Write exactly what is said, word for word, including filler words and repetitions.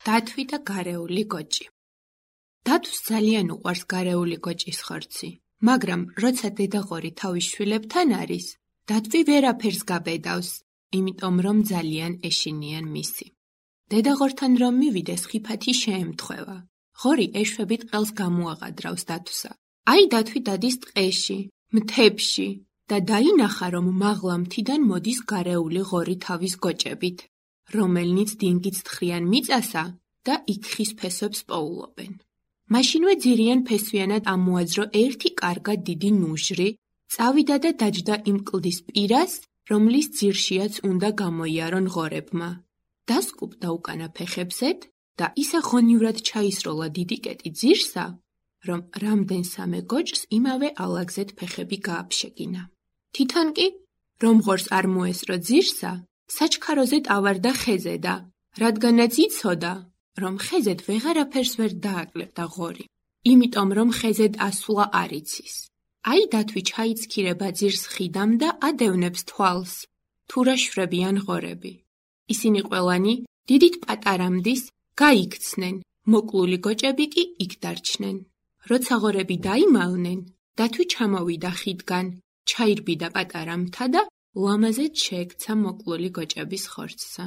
დათვი და გარეული გოჭი. დათვს ძალიან უყვარს გარეული გოჭის ხორცი, მაგრამ როცა დედაღორი თავის შვილებთან არის, დათვი ვერაფერს გაბედავს, იმიტომ რომ ძალიან ეშინიან მისი. დედაღორთან რომ მივიდეს, ხიფათი შეემთხვევა. ღორი ეშვებით ყელს გამოაყადრავს დათვსა. აი დათვი დადის ტყეში, მთებში და დაინახა, რომ მაღლა მთიდან მოდის გარეული ღორი თავის გოჭებით, რომელნიც დინგით თხრიან მიწასა და იქ ხის ფესვებს პოულობენ. მაშინვე ძირიან ფესვიანად ამოაძრო ერთი კარგად დიდი ნუჟრი, წავიდა და დაჯდა იმ კლდის პირას, რომლის ძირშიაც უნდა გამოიარონ ღორებმა. დასკუპდა უკანა ფეხებზეთ და ისა ღონივრად ჩაისროლა დიდი კეტი ძირსა, რომ რამდენსამე გოჭს იმავე ალაგზეთ ფეხები გააფშეგინა. თვითონ კი, რომ ღორს არ მოესრო ძირსა, საჩქაროზეთ ავარდა ხეზე და, რადგანაც იცოდა, რომ ხეზედ ვეღარაფერს ვერ დააკლებდა ღორი, იმიტომ რომ ხეზედ ასვლა არ იცის. აი დათვი ჩაიცქირება ძირს ხიდამ და ადევნებს თვალს, თუ რა შვებიან ღორები. ისინი ყველანი დიდით პატარამდის გაიქცნენ, მოკლული გოჭები კი იქ დარჩნენ. როცა ღორები დაიმალნენ, დათვი ჩამოვიდა ხიდგან, ჩაირბიდა პატარა მთა და ლამაზედ შეექცა მოკლული გოჭების ხორცსა.